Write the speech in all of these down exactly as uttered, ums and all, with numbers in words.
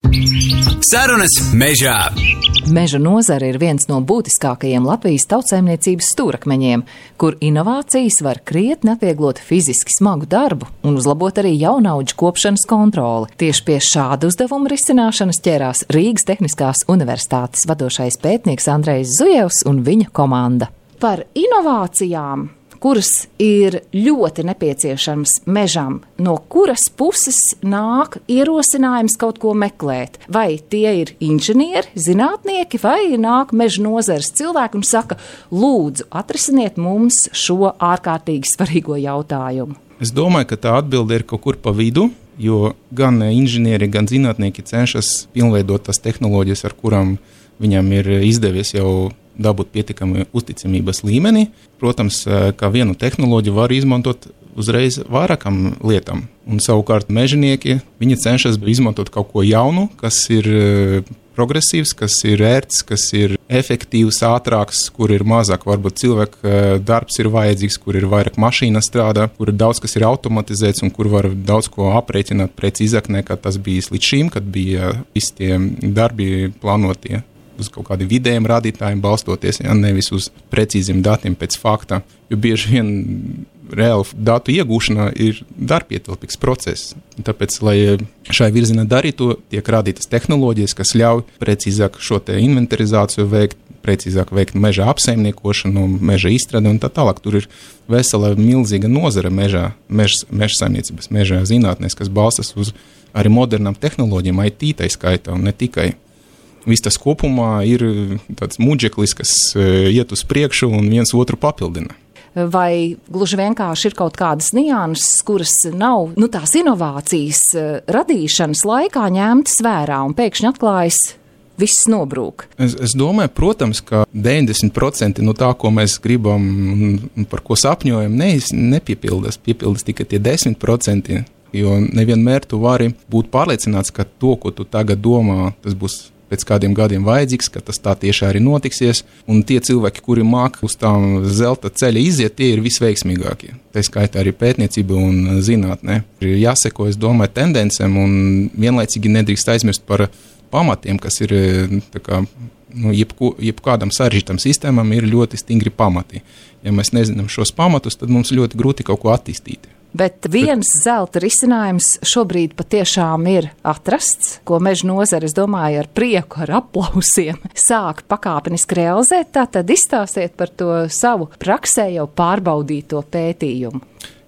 Sarunas mežā. Meža nozare ir viens no būtiskākajiem Latvijas tautsaimniecības stūrakmeņiem, kur inovācijas var krietni atvieglot fiziski smagu darbu un uzlabot arī jaunaudžu kopšanas kontroli. Tieši pie šāda uzdevuma risināšanas ķērās Rīgas Tehniskās universitātes vadošais pētnieks Andrejs Zujevs un viņa komanda. Par inovācijām, kuras ir ļoti nepieciešams mežam, no kuras puses nāk ierosinājums kaut ko meklēt. Vai tie ir inženieri, zinātnieki, vai nāk meža nozares cilvēki un saka, lūdzu, atrisiniet mums šo ārkārtīgi svarīgo jautājumu. Es domāju, ka tā atbilde ir kaut kur pa vidu, jo gan inženieri, gan zinātnieki cenšas pilnveidot tās tehnoloģijas, ar kurām viņam ir izdevies jau dabūt pietiekami uzticamības līmeni. Protams, kā vienu tehnoloģiju var izmantot uzreiz vairākam lietām. Un savukārt mežinieki, viņi cenšas izmantot kaut ko jaunu, kas ir progresīvs, kas ir ērts, kas ir efektīvs, ātrāks, kur ir mazāk varbūt cilvēku darbs ir vajadzīgs, kur ir vairāk mašīna strādā, kur ir daudz, kas ir automatizēts un kur var daudz ko aprēķināt precīzāk nekā tas bijis līdz šim, kad bija visi tie darbi plānotie uz kaut kādiem vidējiem rādītājiem balstoties, ja nevis uz precīziem datiem pēc fakta, jo bieži vien reāli datu iegūšana ir darbietilpīgs process. Tāpēc, lai šai virzienā darītu, tiek rādītas tehnoloģijas, kas ļauj precīzāk šo te inventarizāciju veikt, precīzāk veikt meža apsaimniekošanu, meža izstrādi un tā tālāk. Tur ir vesela milzīga nozara mežā, meža, meža saimniecības, meža zinātnēs, kas balstas uz arī modernām tehnoloģijām, I T tai skaitā un ne tikai. Viss tas kopumā ir tāds muģeklis, kas iet uz priekšu un viens otru papildina. Vai gluži vienkārši ir kaut kādas nianses, kuras nav, nu tās inovācijas radīšanas laikā ņemtas vērā un pēkšņi atklājas, viss nobrūk? Es, es domāju, protams, ka deviņdesmit procenti no tā, ko mēs gribam un par ko sapņojam, ne, nepiepildas, piepildas tikai tie desmit procenti, jo nevienmēr tu vari būt pārliecināts, ka to, ko tu tagad domā, tas būs pēc kādiem gadiem vajadzīgs, ka tas tā tieši arī notiksies, un tie cilvēki, kuri māk uz tām zelta ceļa iziet, tie ir visveiksmīgākie. Tā skaitā arī pētniecība un zinātnē. Ir jāseko, es domāju, tendencēm, un vienlaicīgi nedrīkst aizmirst par pamatiem, kas ir, tā kā, nu, jebku, jebkādam sarežģītam sistēmam ir ļoti stingri pamati. Ja mēs nezinām šos pamatus, tad mums ļoti grūti kaut ko attīstīt. Bet viens zelta risinājums šobrīd patiešām ir atrasts, ko meža nozare, es domāju, ar prieku, ar aplausiem sāk pakāpeniski realizēt. Tātad izstāstiet par to savu praksē jau pārbaudīto pētījumu.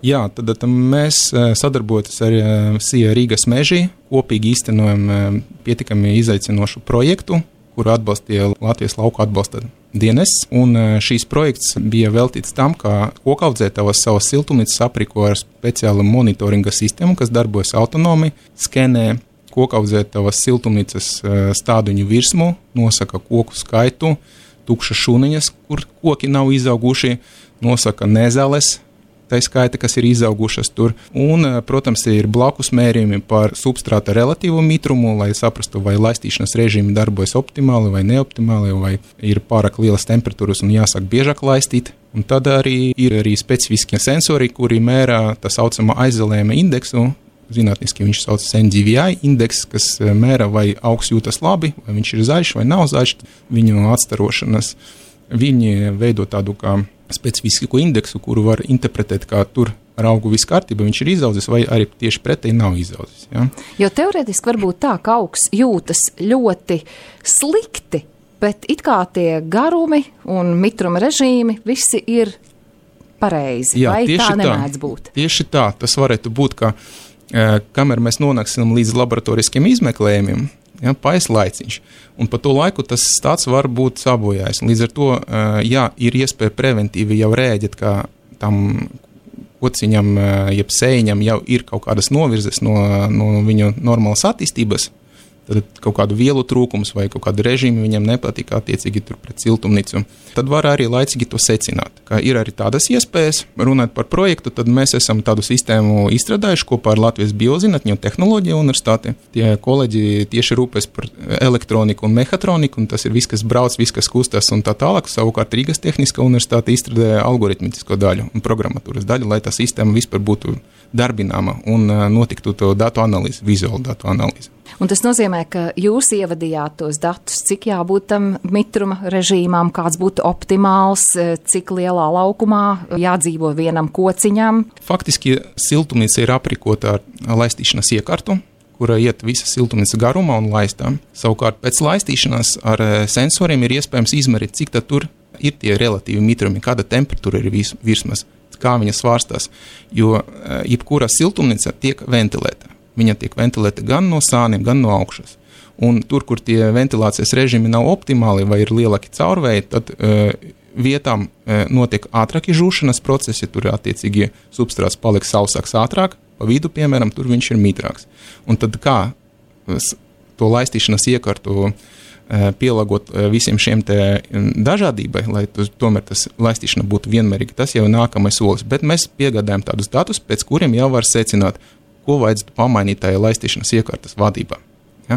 Jā, tad, tad mēs sadarbojamies ar S I A Rīgas meži, kopīgi īstenojam pietiekami izaicinošu projektu, kuru atbalstīja Latvijas lauku atbalsta dienests, un šīs projekts bija veltīts tam, ka kokaudzētavas savas siltumnīcas aprīko ar speciālu monitoringa sistēmu, kas darbojas autonomi, skenē kokaudzētavas siltumnīcas stāduņu virsmu, nosaka koku skaitu, tukšas šūniņas, kur koki nav izauguši, nosaka nezales, tā skaita, kas ir izaugušas tur. Un, protams, ir blakus mērījumi par substrāta relatīvo mitrumu, lai saprastu, vai laistīšanas režīmi darbojas optimāli vai neoptimāli, vai ir pārāk lielas temperatūras un jāsāk biežāk laistīt. Un tad arī ir arī specifiskie sensori, kuri mērā tā saucamā aizelējuma indeksu. Zinātniski viņš sauc N D V I indeks, kas mēra, vai augs jūtas labi, vai viņš ir zaļš vai nav zaļš, viņu atstarošanas. Viņi veido tādu kā specifisku indeksu, kuru var interpretēt, kā tur ar augu viss kārtība, viņš ir izaudzis, vai arī tieši pretēji nav izaudzis. Ja? Jo teorētiski var būt tā, ka augs jūtas ļoti slikti, bet it kā tie garumi un mitruma režīmi visi ir pareizi. Jā, vai tā nemēdz būt? Tieši tā, tas varētu būt, ka kamēr mēs nonāksim līdz laboratoriskiem izmeklējumiem, ja, paies laiciņš, un pa to laiku tas stāsts var būt sabojājis. Līdz ar to, jā, ir iespēja preventīvi jau rēģēt, ka tam kociņam, jeb sēņam jau ir kaut kādas novirzes no, no viņu normālas attīstības, tad kaut kādu vielu trūkums vai kaut kādu režīmu viņam nepatīk attiecīgi tur pret siltumnīcu. Tad var arī laicīgi to secināt. Ka ir arī tādas iespējas. Runāt par projektu, tad mēs esam tādu sistēmu izstrādājuši kopā ar Latvijas Biozinātņu un tehnoloģiju universitāti. Tie kolēģi tieši rūpēs par elektroniku un mehatroniku, un tas ir viss, kas brauc, viss, kas kustās un tā tālāk. Savukārt Rīgas Tehniskā universitāte izstrādāja algoritmisko daļu un programmatūras daļu, lai tā sistēma vispār būtu darbināma un notiktu to datu analīzi, vizuālu datu analīzi. Un tas nozīmē, ka jūs ievadījāt tos datus, cik jābūt tam mitruma režīmām, kāds būtu optimāls, cik lielā laukumā jādzīvo vienam kociņam. Faktiski siltumnīca ir aprīkota ar laistīšanas iekartu, kura iet visa siltumnīca garumā un laistām. Savukārt pēc laistīšanās ar sensoriem ir iespējams izmērīt, cik tad tur ir tie relatīvi mitrumi, kāda temperatūra ir virsmas, kā viņa svārstās, jo jebkura siltumnīca tiek ventilēta. Viņa tiek ventilēta gan no sāniem, gan no augšas. Un tur, kur tie ventilācijas režīmi nav optimāli vai ir lielāki caurvēji, tad uh, vietām uh, notiek ātrāki žūšanas procesi, tur attiecīgi substrāts paliek sausāks ātrāk, pa vidu, piemēram, tur viņš ir mitrāks. Un tad kā to laistīšanas iekartu uh, pielāgot uh, visiem šiem te dažādībai, lai tu, tomēr tas laistīšana būtu vienmērīga, tas jau ir nākamais solis. Bet mēs piegādājam tādus datus, pēc kuriem jau var secināt, ko vajadzētu pamainīt tajā laistīšanas iekārtas vadībā. Ja?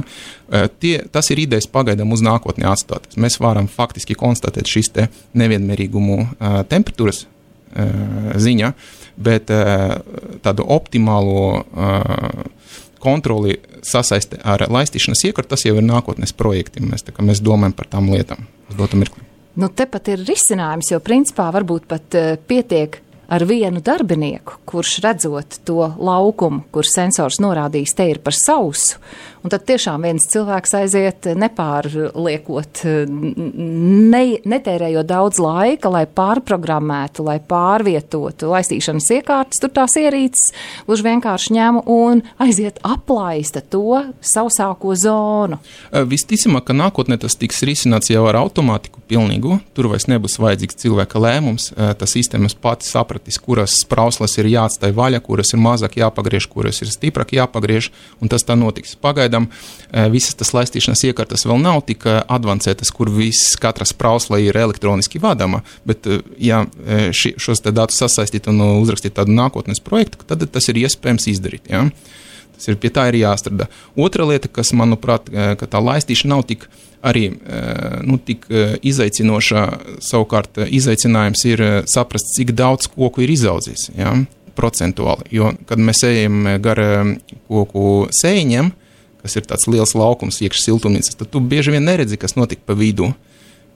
Tie, tas ir idejas pagaidām uz nākotni atstāt. Mēs varam faktiski konstatēt šis te nevienmērīgumu uh, temperatūras uh, ziņā, bet uh, tādu optimālo uh, kontroli sasaiste ar laistīšanas iekārtu, tas jau ir nākotnes projekti. Mēs, tā, mēs domājam par tām lietām uz dotu mirkli. Nu, tepat ir risinājums, jo principā varbūt pat uh, pietiek ar vienu darbinieku, kurš redzot to laukumu, kur sensors norādījis, te ir par sausu, un tad tiešām viens cilvēks aiziet nepārliekot, ne, netērējot daudz laika, lai pārprogrammētu, lai pārvietotu laistīšanas iekārtas, tur tās ierīces, gluži vienkārši ņem un aiziet aplaista to sausāko zonu. Visticamāk, ka nākotnē tas tiks risināts jau ar automātiku pilnīgu, tur vairs nebūs vajadzīgs cilvēka lēmums, tas sistēmas pati sapratīs, kuras sprauslas ir jāatstāj vaļa, kuras ir mazāk jāpagriež, kuras ir stiprāk jāpagriež, un tas tā notiks. Pagaidām visas tas laistīšanas iekārtas vēl nav tik advancētas, kur viss katra sprausla ir elektroniski vadama, bet ja ši, šos te datus sasaistīt un uzrakstīt tādu nākotnes projektu, tad tas ir iespējams izdarīt. Ja? Tas ir, pie tā ir jāstrādā. Otra lieta, kas, manuprāt, ka tā laistīšana nav tik arī nu, tik izaicinoša, savukārt izaicinājums ir saprast, cik daudz koku ir izaudzis, ja? Procentuāli. Jo, kad mēs ejam gar koku sēņiem, kas ir tāds liels laukums iekš siltumnīcas, tad tu bieži vien neredzi, kas notika pa vidu,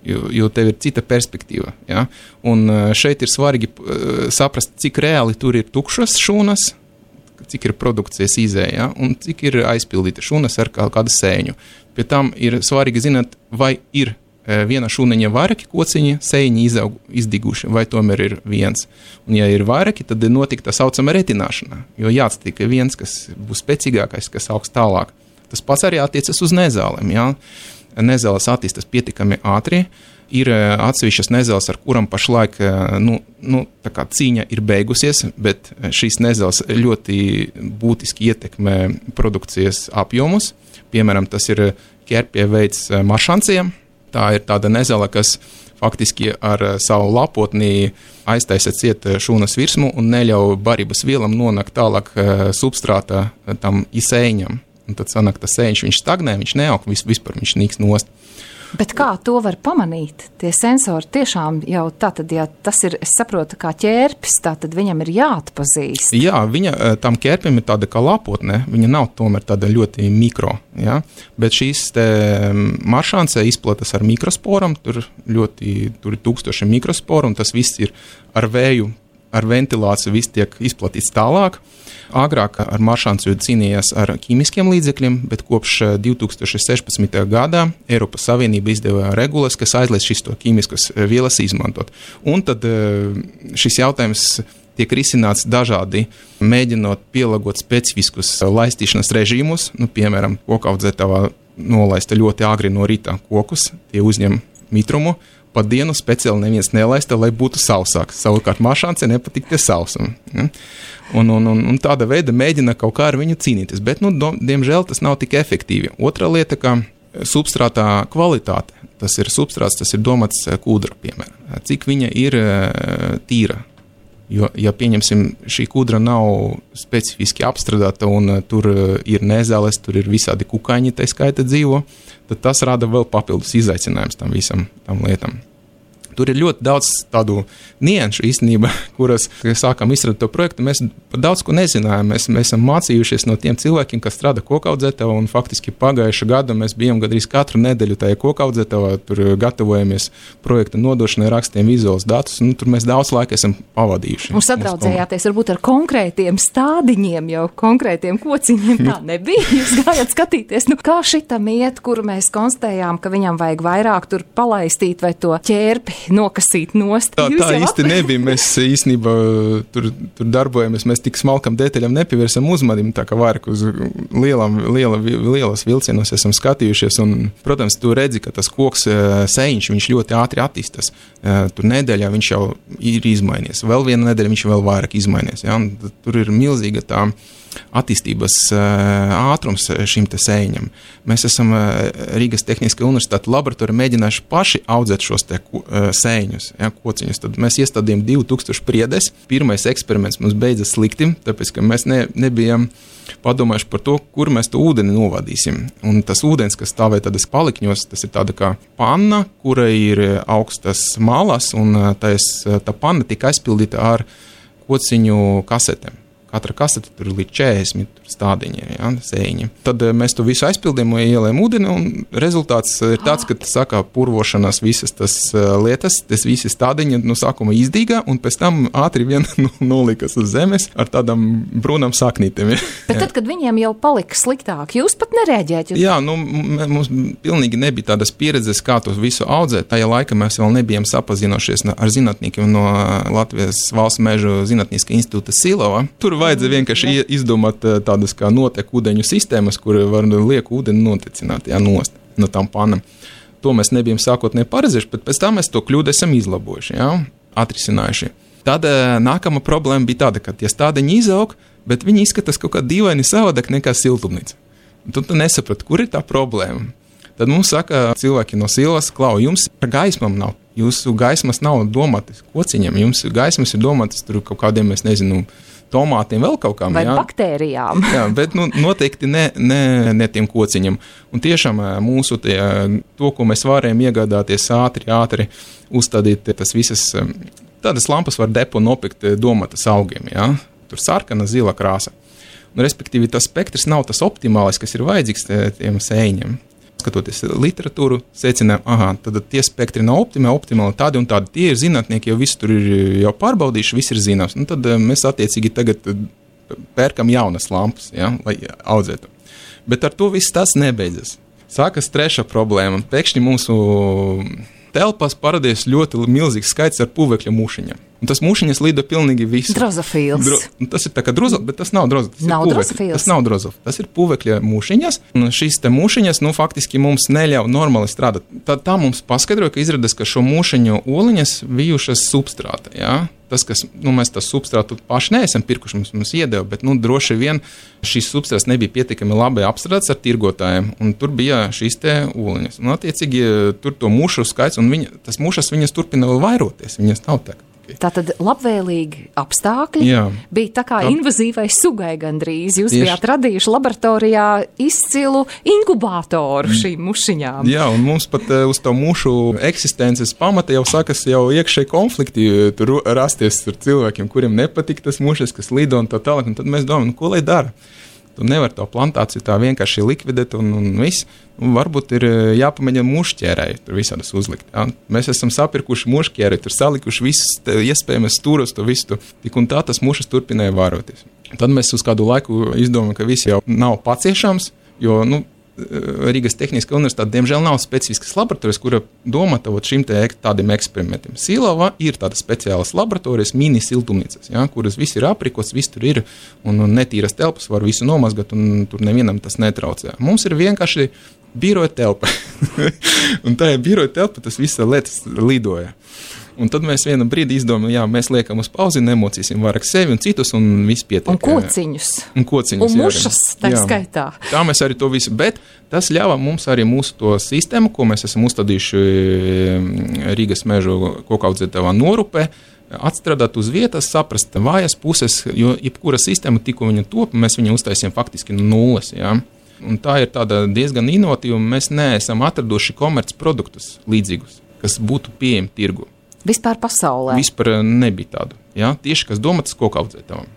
jo, jo tev ir cita perspektīva. Ja? Un šeit ir svarīgi saprast, cik reāli tur ir tukšas šūnas, cik ir produkcijas izēja, ja? Un cik ir aizpildīta šūnas ar kādu sēņu. Pie tam ir svarīgi zināt, vai ir viena šūniņa vairāki kociņi, sēņi izaug, izdiguši, vai tomēr ir viens. Un ja ir vairāki, tad notika tā saucama retināšana, jo jāatstika viens, kas būs spēcīgākais, kas augs tālāk. Tas pats arī attiecas uz nezālēm. Ja? Nezāles attīstas pietiekami ātri. Ir atsevišķas nezāles, ar kuram pašlaik nu, nu, tā kā cīņa ir beigusies, bet šīs nezāles ļoti būtiski ietekmē produkcijas apjomus. Piemēram, tas ir ķerpie veids maršanciem. Tā ir tāda nezāle, kas faktiski ar savu lapotni aiztaisa ciet šūnas virsmu un neļauj barības vielam nonākt tālāk substrātā tam izsēņam. Un tad sanāk, tas sēņš, viņš stagnē, viņš neaug, vis, vispār viņš nīks nost. Bet kā to var pamanīt? Tie sensori tiešām jau tātad, ja tas ir, es saprotu, kā ķērpis, tātad viņam ir jāatpazīst. Jā, viņa, tam ķērpim ir tāda kā lapotne, viņa nav tomēr tāda ļoti mikro, ja? Bet šīs te maršancē izplatas ar mikrosporam, tur ļoti, tur ir tūkstoši mikrosporu, un tas viss ir ar vēju, ar ventilāciju, viss tiek izplatīts tālāk. Agrāk ar maršanciju cīnījās ar ķīmiskiem līdzekļiem, bet kopš divi tūkstoši sešpadsmitajā gadā Eiropas Savienība izdeva regulas, kas aizliedz šīs to ķīmiskas vielas izmantot. Un tad šis jautājums tiek risināts dažādi, mēģinot pielāgot specifiskus laistīšanas režīmus, nu, piemēram, kokaudzētavā nolaista ļoti agri no rīta kokus, tie uzņem mitrumu, pa dienu speciāli neviens nelaista, lai būtu sausāks. Savukārt maršancē nepatīk tie sausumi. Ja? Un, un, un, un tāda veida mēģina kaut kā ar viņu cīnīties, bet, nu, do, diemžēl tas nav tik efektīvi. Otra lieta, ka substrātā kvalitāte, tas ir substrāts, tas ir domāts kūdra, piemēram. Cik viņa ir tīra? Jo, ja pieņemsim, šī kūdra nav specifiski apstrādāta un tur ir nezāles, tur ir visādi kukaiņi, tai skaita dzīvo, tad tas rada vēl papildus izaicinājums tam visam, tam lietam. Tur ir ļoti daudz tādu nianšu īstenībā, kuras, kad sākām izstrādāt to projektu, mēs par daudz ko nezinājām. Mēs, mēs esam mācījušies no tiem cilvēkiem, kas strādā kokaudzētavā, un faktiski pagājuša gada mēs bijām gandrīz katru nedēļu tajā kokaudzētavā, tur gatavojamies projekta nodošanai, rakstiem vizuāls datus, un tur mēs daudz laika esam pavadījuši. Un sadraudzējāties varbūt ar konkrētiem stādiņiem, jau konkrētiem kociņiem, tā nebija. Jūs gājāt skatīties, nu kā šitam iet, kur mēs konstatējām, ka viņam vajag vairāk tur palaistīt vai to ķērpi nokasīt nost. Tā, tā īsti nebija. Mēs īstenībā tur, tur darbojamies, mēs tik smalkam detaļam nepievērsam uzmanību, tā kā vairāk uz lielam, liela, lielas vilcienos esam skatījušies. Un, protams, tu redzi, ka tas koks sēņš, viņš ļoti ātri attīstas. Tur nedēļā viņš jau ir izmainies. Vēl viena nedēļa viņš vēl vairāk izmainies. Ja? Tur ir milzīga tā attīstības ātrums šim te sēņam. Mēs esam Rīgas Tehniskajā universitātes laboratorija mēģinājuši paši audzēt šos te sēņus, ja, kociņus. Tad mēs iestādījām divi tūkstoši priedes. Pirmais eksperiments mums beidzas slikti, tāpēc, ka mēs ne, nebijām padomājuši par to, kur mēs to ūdeni novadīsim. Un tas ūdens, kas stāvē tādas palikņos, tas ir tāda kā panna, kura ir augstas malas, un tais, tā panna tika aizpildīta ar kociņu kasetēm. Katra kasete tur ir līdz četrdesmit stādiņiem, ja, sēņi. Tad mēs to visu aizpildījām, ielējām ūdeni, un rezultāts ir tāds, ka sākā purvošanās visas tas lietas, tas visi stādiņi no sākuma izdīgā, un pēc tam ātri vien nolikas uz zemes ar tādām brūnām saknītēm. Ja. Bet tad, kad viņiem jau palika sliktāk, jūs pat nereaģējat? Jūs... Jā, nu, mums pilnīgi nebija tādas pieredzes, kā to visu audzēt. Tajā laikā mēs vēl nebijām sapazinošies ar zinātniekiem no Latvijas Valsts mežu zinātniskā institūta Silava. Tur vajadzēja vienkārši izdomāt tādas kā noteku ūdeņu sistēmas, kur var lieku ūdeni notecināt, jā, nost no tām panām. To mēs nebijām sākotnēji paredzējuši, bet pēc tam mēs to kļūdu esam izlabojuši, jā, atrisinājuši. Tad nākama problēma bija tāda, ka tie stādiņi izaug, bet viņi izskatās kaut kā dīvaini savādāk nekā siltumnīca. Tu nesaprati, kur ir tā problēma. Tad mums saka cilvēki no Silvas, klau, jums gaismam nav. Jūsu gaismas nav domātas kociņiem, jums gaismas ir domātas tur kaut kādiem, es nezinu, tomātiem, vēl kaut kām. Vai jā. Baktērijām. Jā, bet nu, noteikti ne, ne, ne tiem kociņam. Un tiešām mūsu tie, to, ko mēs varējām iegādāties ātri, ātri uzstādīt, tas visas, tādas lampas var depo nopirkt domātas augiem, jā. Tur sarkana, zila krāsa. Un, respektīvi, tas spektrs nav tas optimālais, kas ir vajadzīgs tiem sēņiem. Skatoties literatūru, secinām, aha, tad tie spektri nav optimāli, optimāli tādi un tādi. Tie ir zinātnieki, jau visi tur ir jau pārbaudījuši, viss ir zināms. Un tad mēs attiecīgi tagad pērkam jaunas lampas, ja, lai audzētu. Bet ar to viss tas nebeidzas. Sākas trešā problēma. Pēkšņi mūsu telpās parādījās ļoti milzīgs skaits ar puvekļa mušiņām. Un tas mušiņas lido pilnīgi visu. Drozofils. Dro, tas ir tā kā drozofils, bet tas nav drozofils. Nav drozofils. Tas nav drozofils. Tas ir puvekļa mušiņas. Un šīs te mušiņas, nu, faktiski mums neļauj normāli strādāt. Tad tā mums paskaidroja, ka izrādās, ka šo mušiņu oliņas bijušas substrāta, jā. Tas, kas, nu, mēs tas substrātu paši neesam pirkuši, mums, mums iedeva, bet, nu, droši vien šīs substrāts nebija pietiekami labi apstrādāts ar tirgotājiem, un tur bija šīs te oliņas. Un, attiecīgi, tur to mušu skaits, un viņa, tas mušas viņas turpina vēl vairoties, viņas nav tā. Tātad labvēlīgi apstākļi. Jā. Bija tā kā invazīvai sugai gandrīz. Jūs Tieši. bijāt radījuši laboratorijā izcilu inkubātoru šīm mušiņām. Jā, un mums pat uh, uz to mušu eksistences pamata jau sākas jau iekšēji konflikti tur rasties ar cilvēkiem, kuriem nepatīk tas mušas, kas lido un tā tālāk. Un tad mēs domājam, nu, ko lai dara? Tu nevar to plantāciju tā vienkārši likvidēt un, un viss. Un varbūt ir jāpamēģina mušķērēji tur visādas uzlikt. Ja? Mēs esam sapirkuši mušķērēji, tur salikuši visas iespējamas stūros, to visu. Tik un tā tas mušas turpināja vāroties. Tad mēs uz kādu laiku izdomājam, ka viss jau nav paciešams, jo, nu, Rīgas Tehniskā universitāte, diemžēl, nav specifiskas laboratorijas, kura domāta šim te tādiem eksperimentiem. Silava ir tādas speciālas laboratorijas, mini siltumnīcas, ja, kuras viss ir aprikots, viss tur ir, un netīras telpas var visu nomazgat, un tur nevienam tas netraucē. Mums ir vienkārši biroja telpa. Un tajā biroja telpa tas visa lietas lidoja. Un tad mēs vienu brīdi izdomājam, jā, mēs liekam uz pauzi, nemocīsim vairāk sevi un citus, un viss pietiek. Un kociņus. Un kociņus, un mušas, tā skaitā. Tā mēs arī to visu, bet tas ļāva mums arī mūsu to sistēmu, ko mēs esam uzstādījuši Rīgas mežu kokaudzētavā norupē, atstrādāt uz vietas, saprast vājas puses, jo jebkura sistēma, tikko viņa top, mēs viņu uztaisījām faktiski no nulles, jā. Un tā ir tāda diezgan inovatīva, mēs neesam atraduši komerc produktus līdzīgus, kas būtu pieejami tirgu. Vispār pasaulē? Vispār nebija tādu. Ja? Tieši, kas domātas koku audzētājiem.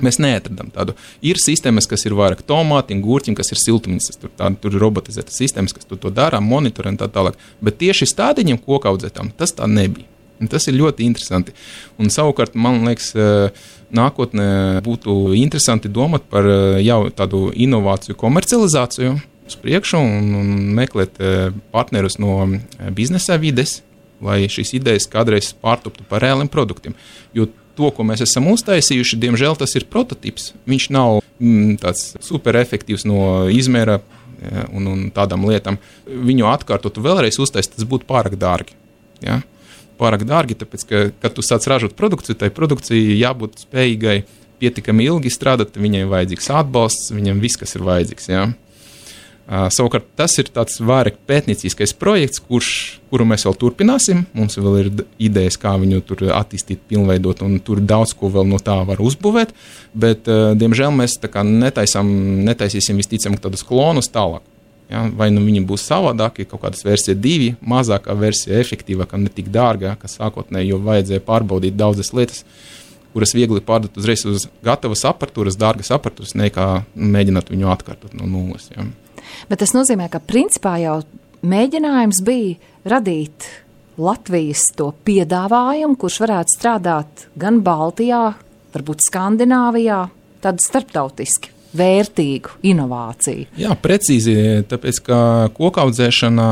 Mēs neatradām tādu. Ir sistēmas, kas ir vairāk tomātiem, gurķiem, kas ir siltumnīcas, tur, tā, tur ir robotizētas sistēmas, kas tur to dara, monitorē un tā tālāk. Bet tieši stādiņiem koku audzētājiem tas tā nebija. Un tas ir ļoti interesanti. Un savukārt, man liekas, nākotnē būtu interesanti domāt par jau tādu inovāciju komercializāciju uz priekšu un, un meklēt partnerus no biznesa vides, lai šīs idejas kādreiz pārtoptu par reāliem produktiem. Jo to, ko mēs esam uztaisījuši, diemžēl tas ir prototips. Viņš nav mm, tāds super efektīvs no izmēra ja, un, un tādām lietām. Viņu atkārtot vēlreiz uztaisīt, tas būtu pārāk dārgi. Ja? Pārāk dārgi, tāpēc, ka, kad tu sāc ražot produkciju, tai produkcijai jābūt spējīgai pietiekami ilgi strādāt, viņai vajadzīgs atbalsts, viņam viss, kas ir vajadzīgs. Ja? Uh, savukārt tas ir tāds vairāk pētnieciskais projekts, kurš, kuru mēs vēl turpināsim. Mums vēl ir idejas, kā viņu tur attīstīt, pilnveidot, un tur daudz ko vēl no tā var uzbūvēt, bet, uh, diemžēl, mēs tā kā netaisam, netaisīsim visticamāk tādus klonus tālāk. Ja? Vai nu viņi būs savādāki, kaut kādas versija divi, mazākā versija, efektīvākā, ne tik dārgā, kā sākotnēji, jo vajadzēja pārbaudīt daudzas lietas, kuras viegli pārdot uzreiz uz gatavas aparatūras, dārgas aparatūras, nekā mēģināt viņu atkārtot no nulles. Ja? Bet tas nozīmē, ka principā jau mēģinājums bija radīt Latvijas to piedāvājumu, kurš varētu strādāt gan Baltijā, varbūt Skandināvijā, tādu starptautiski vērtīgu inovāciju. Jā, precīzi, tāpēc, ka kokaudzēšana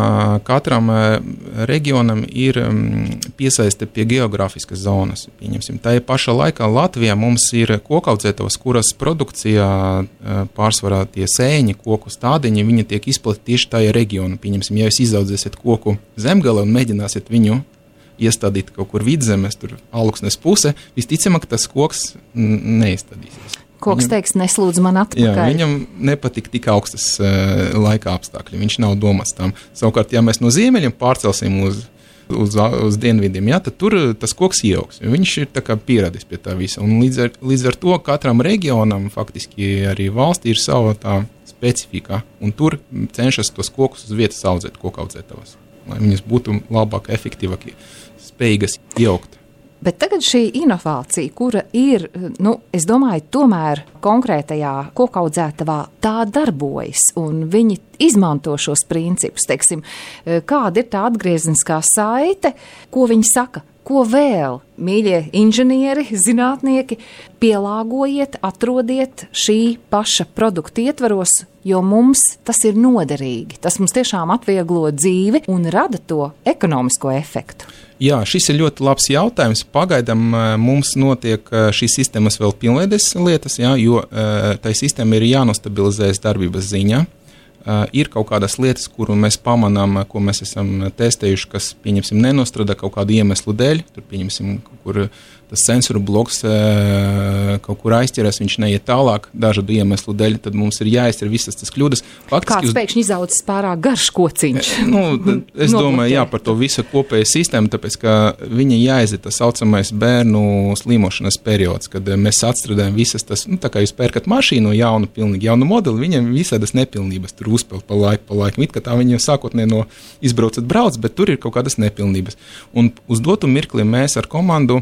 katram reģionam ir piesaiste pie geogrāfiskas zonas. Pieņemsim, tā pašā laikā Latvijā mums ir kokaudzētavas, kuras produkcijā pārsvarā tie sēņi, koku stādiņi, viņi tiek izplatīti tieši tajā reģionā. Pieņemsim, ja jūs izaudzēsiet koku Zemgale un mēģināsiet viņu iestādīt kaut kur vidzemes, tur Alūksnes puse, visticamāk tas koks neizstādīsies. Koks teiks, neslūdz man atpakaļ. Jā, viņam nepatīk tik augstas uh, laika apstākļi, viņš nav domāts tam. Savukārt, ja mēs no ziemeļiem pārcelsim uz, uz, uz dienvidiem, jā, tad tur tas koks ieaugs. Viņš ir tā kā pieradis pie tā visa. Un līdz ar, līdz ar to katram reģionam, faktiski arī valstī, ir sava tā specifika. Un tur cenšas tos kokus uz vietas audzēt, kokaudzētavas. Lai viņas būtu labāk, efektīvāk, spējīgas ieaugt. Bet tagad šī inovācija, kura ir, nu, es domāju, tomēr konkrētajā kokaudzētavā tā darbojas, un viņi izmanto šos principus, teiksim, kāda ir tā atgriezniskā saite, ko viņi saka, ko vēl, mīļie inženieri, zinātnieki, pielāgojiet, atrodiet šī paša produkta ietvaros, jo mums tas ir noderīgi. Tas mums tiešām atvieglo dzīvi un rada to ekonomisko efektu. Jā, šis ir ļoti labs jautājums. Pagaidām mums notiek šīs sistēmas vēl pilnveides lietas, jā, jo tai sistēma ir jānostabilizējas darbības ziņā. Uh, ir kaut kādas lietas, kuru mēs pamanām, ko mēs esam testējuši, kas, pieņemsim, nenostrādā kaut kādu iemeslu dēļ. Tur, pieņemsim, kur tas sensoru bloks uh, kaut kur aizķeras, viņš neiet tālāk dažādu iemeslu dēļ, tad mums ir jāizcer visas tas kļūdas. Faktiski, Kāds uz... pēkšņi izaudzis pārāk garš kociņš? Nu, es domāju, jā, par to visu kopēju sistēmu, tāpēc, ka viņa jāiziet tas saucamais bērnu slimošanas periods, kad mēs atstrādājam visas tas, nu, tā kā jūs pērkat mašīnu jaunu, pilnīgi jaunu modeli, viņam visādas nepilnības tur uzpeld pa laiku, pa laiku. It kā tā viņa sākotnē no izbraucat brauc, bet tur ir kaut kādas nepilnības. Un uz dotu mirkli mēs ar komandu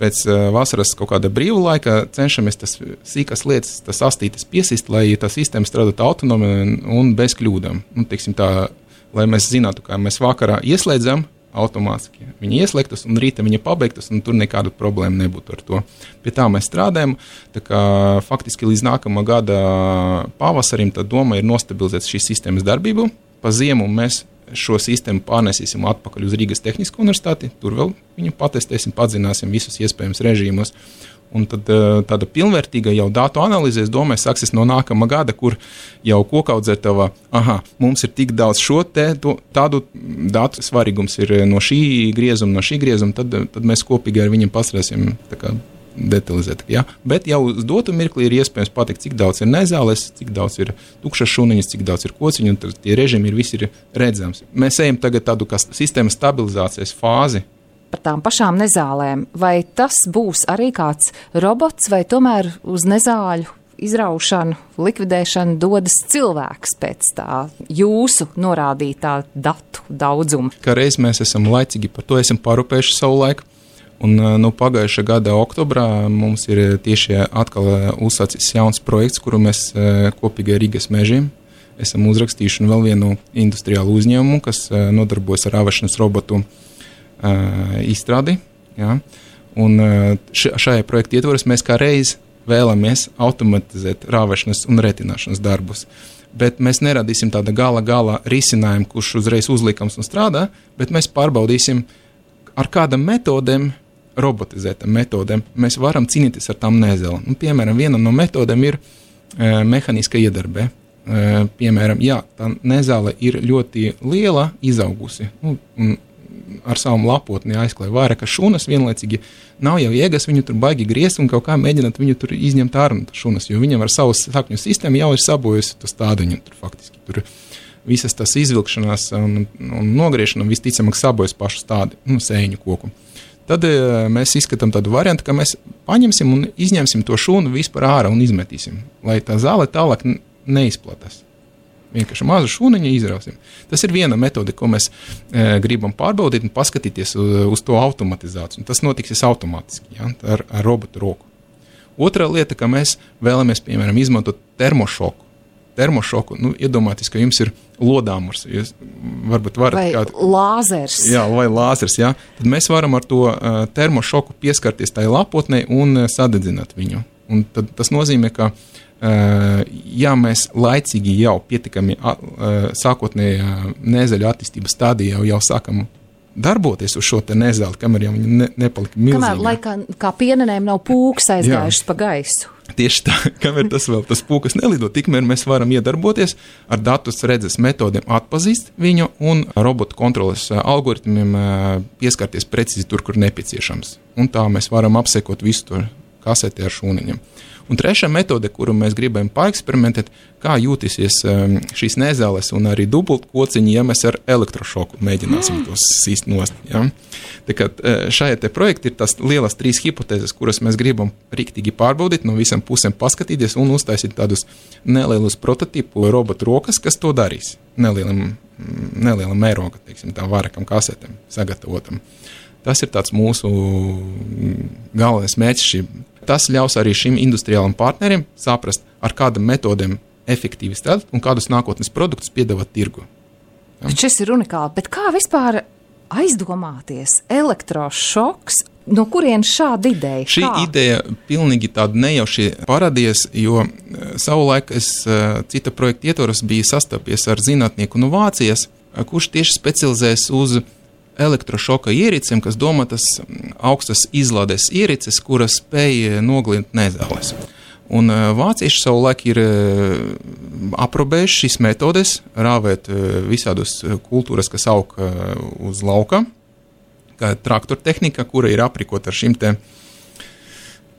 pēc uh, vasaras kaut kāda brīva laika cenšamies tas sīkas lietas, tas astītes piesist, lai tā sistēma strādātu autonomi un, un bez kļūdām. Nu, teiksim tā, lai mēs zinātu, kā mēs vakarā ieslēdzam automātiski. Viņa ieslēgtas un rīta viņa pabeigtas, un tur nekādu problēmu nebūtu ar to. Pie tā mēs strādājam, tā kā faktiski līdz nākamā gada pavasarim tā doma ir nostabilizēt šīs sistēmas darbību. Pa ziemu mēs šo sistēmu pārnesīsim atpakaļ uz Rīgas Tehnisko universitāti, tur vēl viņu patestēsim, padzināsim visus iespējamos režīmus. Un tad tāda pilnvērtīga jau datu analīze, es domāju, sāksies no nākamā gada, kur jau kokaudzētava, aha, mums ir tik daudz šo te, to, tādu datu svarīgums ir no šī griezuma, no šī griezuma, tad, tad mēs kopīgi ar viņiem pasrēsim tā kā detalizēt. Ja? Bet jau uz dotu mirkli ir iespējams pateikt, cik daudz ir nezāles, cik daudz ir tukšas šūniņas, cik daudz ir kociņu, un tie režīmi ir visi ir redzams. Mēs ejam tagad tādu kā sistēmas stabilizācijas fāzi. Par tām pašām nezālēm, vai tas būs arī kāds robots, vai tomēr uz nezāļu izraušanu, likvidēšanu dodas cilvēks pēc tā jūsu norādītā datu daudzumu. Kā reiz mēs esam laicīgi par to esam parūpējuši savu laiku. Un no pagājušā gada oktobrā mums ir tieši atkal uzsācis jauns projekts, kuru mēs kopīgi ar Rīgas mežiem esam uzrakstījuši vēl vienu industriālu uzņēmumu, kas nodarbojas ar rāvēšanas robotu izstrādi. Ja? Un šajā projekta ietvaros mēs kā reiz vēlamies automatizēt rāvēšanas un retināšanas darbus. Bet mēs neradīsim tāda gala gala risinājumu, kurš uzreiz uzlikams un strādā, bet mēs pārbaudīsim, ar kādam metodēm, robotizētam metodēm, mēs varam cīnīties ar tām nezēlēm. Nu, piemēram, viena no metodēm ir e, mehāniska iedarbē. E, piemēram, jā, tā nezēle ir ļoti liela, izaugusi, nu, un ar savam lapotni aizklāja vairākas šunas, vienlaicīgi nav jau iegas viņu tur baigi griezt un kaut kā mēģināt viņu tur izņemt ārā no šunas, jo viņam ar savu sakņu sistēmu jau ir sabojusi to stādiņu tur faktiski. Tur visas tas izvilkšanās un, un nogriešanā visticamāk sabojas pašu stādi, nu, sēņu koku. Tad e, mēs izskatām tādu variantu, ka mēs paņemsim un izņemsim to šunu vispār ārā un izmetīsim, lai tā zāle tālāk neizplatās. Vienkārši mazu šūniņu izrausim. Tas ir viena metode, ko mēs e, gribam pārbaudīt un paskatīties uz, uz to automatizāciju. Un tas notiksies automātiski, ja, ar, ar robotu roku. Otra lieta, ka mēs vēlamies, piemēram, izmantot termošoku. Termošoku, nu, iedomāties, ka jums ir lodāmurs. Jūs varbūt varat vai kādu... lāzers. Jā, vai lāzers, jā. Tad mēs varam ar to uh, termošoku pieskarties tai lapotnei un uh, sadedzināt viņu. Un tad tas nozīmē, ka Uh, ja mēs laicīgi jau pietiekami uh, sākotnējā nezeļu attīstības stādījā jau, jau sākam darboties uz šo te nezeli, kamēr jau viņi ne, nepalika milzīgi. Kamēr, lai kā, kā pienenēm nav pūks aizgājušas pa gaisu. Tieši tā, kamēr tas vēl tas pūkas nelido, tikmēr mēs varam iedarboties ar datus redzes metodiem atpazīst viņu un robotu kontroles algoritmiem pieskarties precīzi tur, kur nepieciešams. Un tā mēs varam apsekot visu to kaseti ar šūniņiem. Un trešā metode, kuru mēs gribam paeksperimentēt, kā jūtīsies šīs nezāles un arī dubult kociņi, ja mēs ar elektrošoku mēģināsim tos sīst nost. Ja? Tā kā šajā te projekta ir tās lielas trīs hipotēzes, kuras mēs gribam riktīgi pārbaudīt, no visam pusēm paskatīties un uztaisīt tādus nelielus prototipu robotu rokas, kas to darīs. Nelielam, nelielam mēroga, teiksim, tā vairākam kasetēm sagatavotam. Tas ir tāds mūsu galvenais mērķis šī. Tas ļaus arī šim industriālam partnerim saprast, ar kādam metodēm efektīvi strādāt un kādus nākotnes produktus piedāvāt tirgu. Ja? Šis ir unikāli, bet kā vispār aizdomāties elektrošoks, no kurienes šāda ideja? Šī kā? ideja pilnīgi tāda nejauši parādījās, jo savulaik es cita projekta ietvaros biju sastapies ar zinātnieku no Vācijas, kurš tieši specializējas uz elektrošoka iericēm, kas domātas augstas izlādes ierīces, kuras spēj noglint nezāles. Un vācieši savulaik ir aprobējuši šīs metodes, rāvēt visādus kultūras, kas aug uz lauka, kā traktortehnika, kura ir aprīkota ar šim te,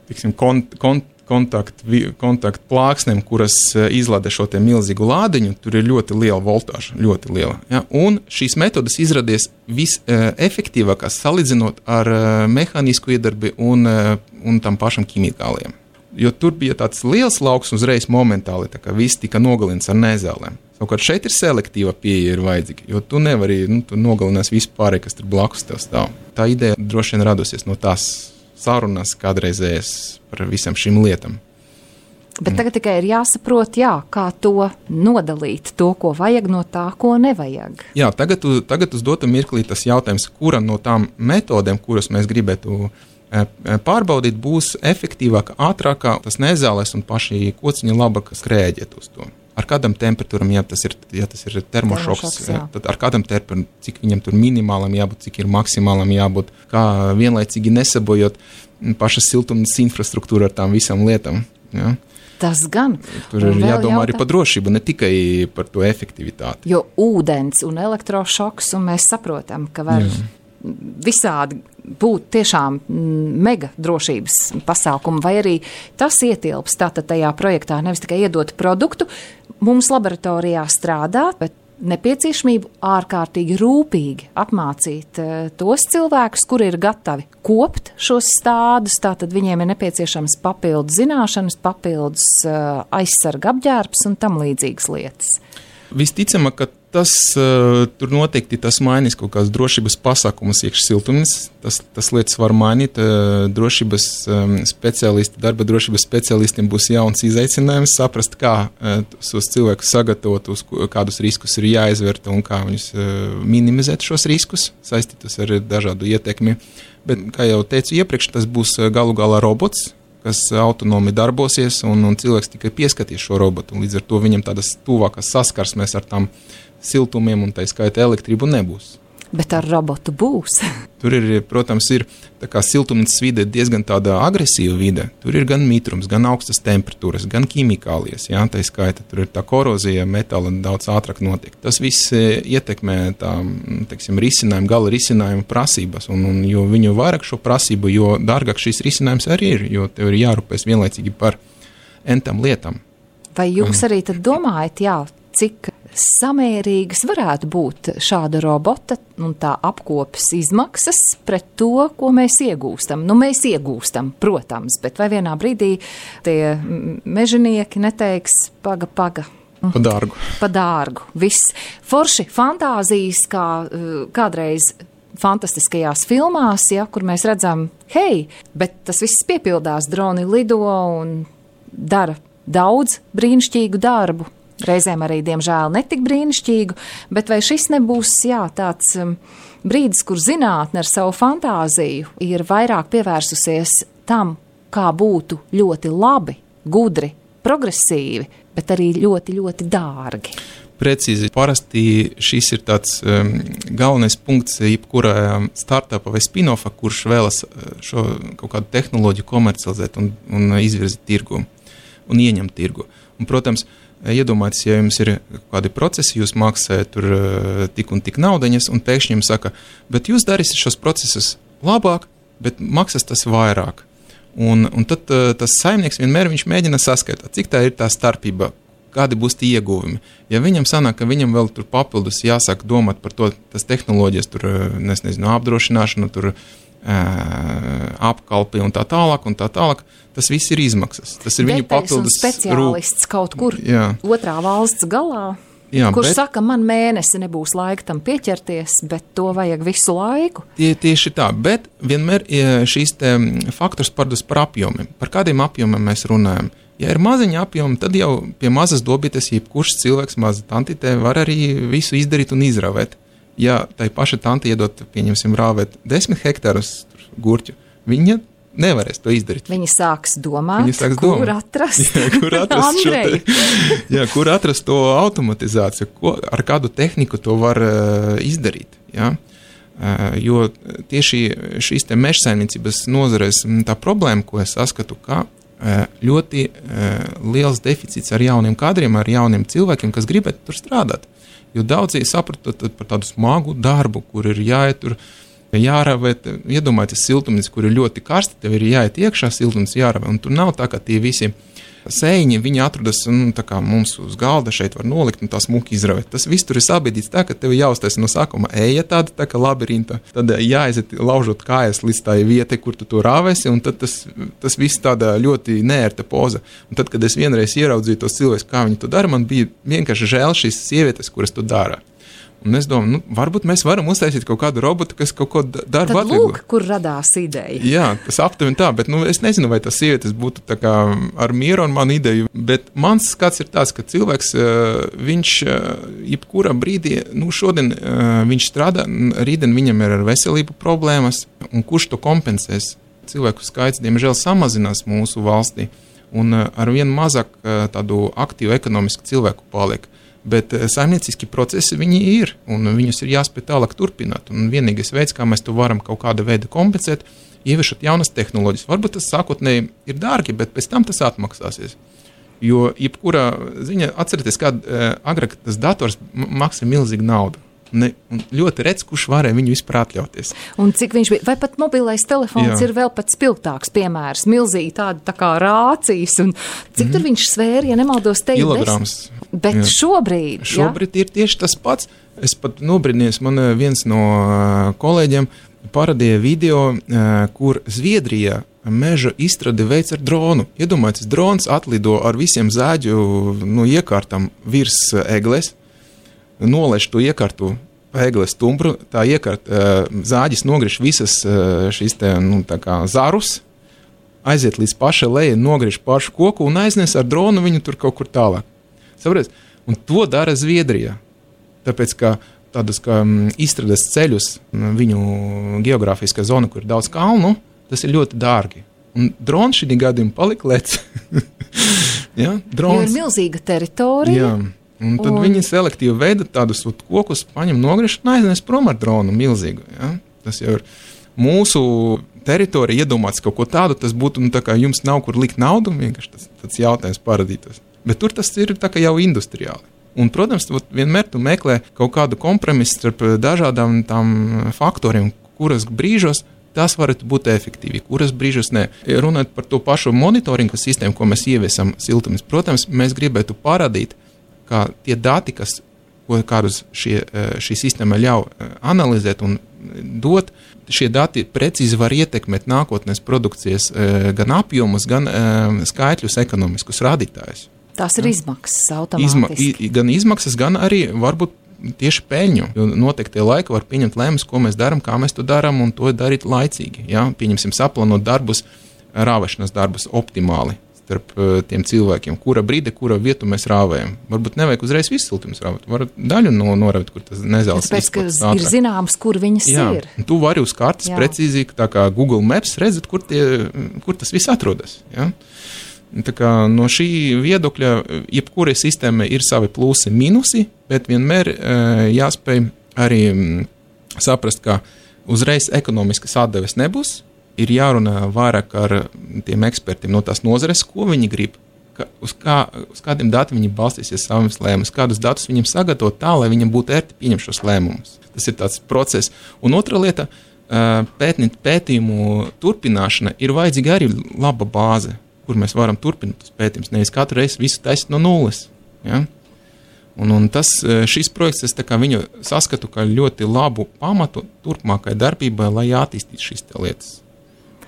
tiksim, kont, kont, kontakt, kontakt plāksnēm, kuras izlādē šo te milzīgu lādiņu, tur ir ļoti liela voltāža, ļoti liela. Ja? Un šīs metodas izradies visefektīvākās salīdzinot ar mehānisku iedarbi un, un tam pašam ķimikāliem. Jo tur bija tāds liels lauks uzreiz momentāli, tā kā viss tika nogalins ar nezālēm. Savukārt šeit ir selektīva pieeja ir vajadzīga, jo tu nevari, nu, tu nogalinās visu pārēju, kas tur blakus tev stāv. Tā ideja droši vien radusies no tās sarunas kādreizējas par visam šīm lietām. Bet tagad tikai ir jāsaprot, jā, kā to nodalīt, to, ko vajag no tā, ko nevajag. Jā, tagad, tagad uz dotu mirklī tas jautājums, kura no tām metodēm, kuras mēs gribētu pārbaudīt, būs efektīvāka, ātrākā, tas nezāles un paši kociņi labāk skrēģiet uz to. Ar kādam temperatūram, ja tas ir, ja tas ir termošoks, termošoks tad ar kādam temperatūram, cik viņam tur minimālam jābūt, cik ir maksimālam jābūt, kā vienlaicīgi nesabojot pašas siltumnīcas infrastruktūru ar tām visām lietām. Ja? Tas gan. Tur ir jādomā jautā... arī par drošību, ne tikai par to efektivitāti. Jo ūdens un elektrošoks, un mēs saprotam, ka var Jā. visādi būt tiešām mega drošības pasākumi, vai arī tas ietilps tātad tajā projektā, nevis tikai iedot produktu, mums laboratorijā strādāt, bet nepieciešamību ārkārtīgi rūpīgi apmācīt uh, tos cilvēkus, kuri ir gatavi kopt šos stādus, tātad viņiem ir nepieciešams papildus zināšanas, papildus uh, aizsarga apģērbs un tam līdzīgas lietas. Visticamāk, ka tas, uh, tur noteikti tas mainīs kaut kādas drošības pasākumus iekš siltumnīcas, tas, tas lietas var mainīt, uh, drošības um, speciālisti, darba drošības speciālistiem būs jauns izaicinājums saprast, kā uh, tos cilvēkus sagatavot, uz kādus riskus ir jāizvērta un kā viņus uh, minimizēt šos riskus, saistītus ar dažādu ietekmi. Bet, kā jau teicu iepriekš, tas būs galu galā robots, kas autonomi darbosies, un, un cilvēks tikai pieskatīs šo robotu, un līdz ar to viņam tādas tuvākas saskarsmēs ar tām siltumiem un tā skaita elektrību nebūs. Bet ar robotu būs. Tur ir, protams, ir tā kā siltumnīcas vide diezgan tāda agresīva vide. Tur ir gan mitrums, gan augstas temperatūras, gan ķimikālijas, jā, tā skaita. Tur ir tā korozija, metāla daudz ātrāk notiek. Tas viss ietekmē tā, teiksim, risinājumu, gala risinājumu prasības, un, un jo viņu vairāk šo prasību, jo dārgāk šis risinājums arī ir, jo tev ir jārūpēs vienlaicīgi par entām lietām. Vai jūs arī tad domājat, jā, cik samērīgas varētu būt šāda robota un tā apkopes izmaksas pret to, ko mēs iegūstam? Nu, mēs iegūstam, protams, bet vai vienā brīdī tie mežonieki neteiks paga, paga? Pa dārgu. Pa dārgu. Viss. Forši fantāzijas, kā kādreiz fantastiskajās filmās, ja, kur mēs redzam, hei, bet tas viss piepildās, droni lido un dara daudz brīnišķīgu darbu. Reizēm arī, diemžēl, netik brīnišķīgu, bet vai šis nebūs, jā, tāds um, brīdis, kur zinātne ar savu fantāziju ir vairāk pievērsusies tam, kā būtu ļoti labi, gudri, progresīvi, bet arī ļoti, ļoti dārgi? Precīzi. Parasti šis ir tāds um, galvenais punkts jebkurā startupa vai spin-offa, kurš vēlas šo kaut kādu tehnoloģiju komercializēt un, un izvirzīt tirgu un ieņemt tirgu. Un, protams, iedomājieties, ja jums ir kādi procesi, jūs maksājat tur tik un tik naudaņas, un pēkšņi jums saka, bet jūs darīsiet šos procesus labāk, bet maksas tas vairāk. Un, un tad tas saimnieks vienmēr viņš mēģina saskaitīt, cik tā ir tā starpība, kādi būs tie ieguvumi. Ja viņam sanāk, ka viņam vēl tur papildus jāsāk domāt par to, tas tehnoloģijas, tur, es nezinu, apdrošināšanu, tur apkalpi un tā tālāk un tā tālāk, tas viss ir izmaksas. Tas ir viņu papildus speciālists kaut kur jā. Otrā valsts galā, jā, kurš bet, saka, man mēnesi nebūs laika tam pieķerties, bet to vajag visu laiku. Tie, tieši tā, bet vienmēr šīs te faktors pārdus par apjomiem. Par kādiem apjomiem mēs runājam? Ja ir maziņa apjoma, tad jau pie mazas dobītes jebkurš cilvēks, maza tantitē, var arī visu izdarīt un izravēt. Ja tai paša tante iedot, pieņemsim, rāvēt desmit hektārus gurķu, viņa nevarēs to izdarīt. Viņa sāks domāt, viņa sāks kur domāt. atrast, jā, kur atrast šo te, jā, kur atrast to automatizāciju, ko, ar kādu tehniku to var uh, izdarīt. Jā. Uh, jo tieši šīs te mežsaimniecības nozarēs tā problēma, ko es saskatu, ka uh, ļoti uh, liels deficīts ar jauniem kadriem, ar jauniem cilvēkiem, kas gribētu tur strādāt. Jo daudzi saprata par tādu smagu darbu, kur ir jāiet tur, jāravēt, iedomājieties siltumnīca, kur ir ļoti karsti, tev ir jāiet iekšā siltumnīca jāravē, un tur nav tā, ka tie visi sēņi, viņi atrodas, nu, tā kā mums uz galda šeit var nolikt un tā smuki izravēt. Tas viss tur ir sabiedīts tā, ka tev jāuztais no sākuma eja tāda, tā kā labirinta, tad jāaiziet laužot kājas līdz tai vietai, kur tu to rāvēsi, un tad tas, tas viss tāda ļoti neērta poza. Un tad, kad es vienreiz ieraudzīju tos cilvēkus, kā viņi to dara, man bija vienkārši žēl šīs sievietes, kuras to dara. Un es domāju, nu, varbūt mēs varam uztaisīt kaut kādu robotu, kas kaut ko darbu atvieglo. Tad lūk, kur radās ideja. Jā, tas aptuveni tā, bet nu, es nezinu, vai tas sievietes būtu tā kā ar mieru un manu ideju, bet mans skats ir tāds, ka cilvēks, viņš jebkurā brīdī, nu šodien viņš strādā, rītdien viņam ir ar veselību problēmas, un kurš to kompensēs? Cilvēku skaits, diemžēl, samazinās mūsu valstī, un ar vien mazāk tādu aktīvu ekonomisku cilvēku paliek. Bet saimnieciski procesi viņi ir, un viņus ir jāspēj tālāk turpināt. Un vienīgais veids, kā mēs to varam kaut kāda veida kompensēt, ieviešot jaunas tehnoloģijas. Varbūt tas sākotnēji ir dārgi, bet pēc tam tas atmaksāsies. Jo jebkurā ziņā, atcerieties, kā agrāk tas dators maksā milzīgu naudu. Ne, un ļoti redz, kurš varēja viņu vispār atļauties. Un cik viņš bija, vai pat mobilais telefons Jā. Ir vēl pat spilgtāks piemērs, milzīgi tādi tā kā rācijas, un cik mm. tur viņš svēra, ja nemaldos te ir kilograms. Bet Jā. šobrīd, šobrīd ir tieši tas pats. Es pat nobrīdījos, man viens no kolēģiem parādīja video, kur Zviedrijā meža izstrādi veids ar dronu. Iedomājieties, drons atlido ar visiem zāģu no iekārtam virs egles. nolaiž to iekartu pēgles stumbru, tā iekārta zāģis nogriež visas šīs te, nu, tā kā zarus, aiziet līdz pašai lejai, nogriež pašu koku un aiznes ar dronu viņu tur kaut kur tālāk. Saprāt? Un to dara Zviedrijā. Tāpēc, ka tādus, ka izstrādās ceļus viņu geogrāfiskā zona, kur ir daudz kalnu, tas ir ļoti dārgi. Un drons šī gadījumā palika lec. ja? Drons. Jo ir milzīga teritorija. Jā. Un tad un... viņi selektīvi veida tādus kokus, paņem nogriež un aiznes prom ar dronu milzīgu. Ja? Tas jau ir mūsu teritorija iedomāts kaut ko tādu, tas būtu, nu, tā kā jums nav kur likt naudu, vienkārši tas, tas jautājums paradītos. Bet tur tas ir tā kā jau industriāli. Un, protams, vienmēr tu meklē kaut kādu kompromisu starp dažādām tām faktoriem, kuras brīžos tas varētu būt efektīvi, kuras brīžos ne. Runājot par to pašu monitoringa sistēmu, ko mēs ieviesam siltumis, protams, mēs gribētu parādīt, kā tie dati, kas, ko kādus šie, šī sistēma ļauj analizēt un dot, šie dati precīzi var ietekmēt nākotnes produkcijas gan apjomus, gan skaitļus ekonomiskus rādītājus. Tās ir izmaksas automātiski. Izma, gan izmaksas, gan arī varbūt tieši peļņu, jo noteiktie laiki var pieņemt lēmumus, ko mēs darām, kā mēs to darām un to darīt laicīgi. Ja? Pieņemsim saplānot darbus, rāvēšanas darbus optimāli starp tiem cilvēkiem, kura brīde, kura vietu mēs rāvējam. Varbūt nevajag uzreiz visu siltumus rāvēt, var daļu no, noravēt, kur tas nezēls izplatās. Tāpēc, ka ir zināms, kur viņas Jā, ir. Tu vari uz kartes Jā. Precīzi, tā kā Google Maps, redzēt, kur, tie, kur tas viss atrodas. Ja? Tā kā no šī viedokļa, jebkurai sistēmai ir savi plusi, minusi, bet vienmēr e, jāspēj arī m, saprast, ka uzreiz ekonomiskas atdeves nebūs. Ir jārunā vairāk ar tiem ekspertiem no tās nozares, ko viņi grib, ka, uz, kā, uz kādiem datiem viņi balstīsies savus lēmumus, kādus datus viņiem sagatavot tā, lai viņiem būtu ērti pieņemt šos lēmumus. Tas ir tāds process. Un otra lieta, pētnīt pētījumu turpināšana ir vajadzīga arī laba bāze, kur mēs varam turpināt tos pētījumus, nevis katru reizi visu taisīt no nulles. Ja? Un, un tas, šis projekts, es tā kā viņu saskatu kā ļoti labu pamatu turpmākai darbībai, lai attīstītu šīs lietas.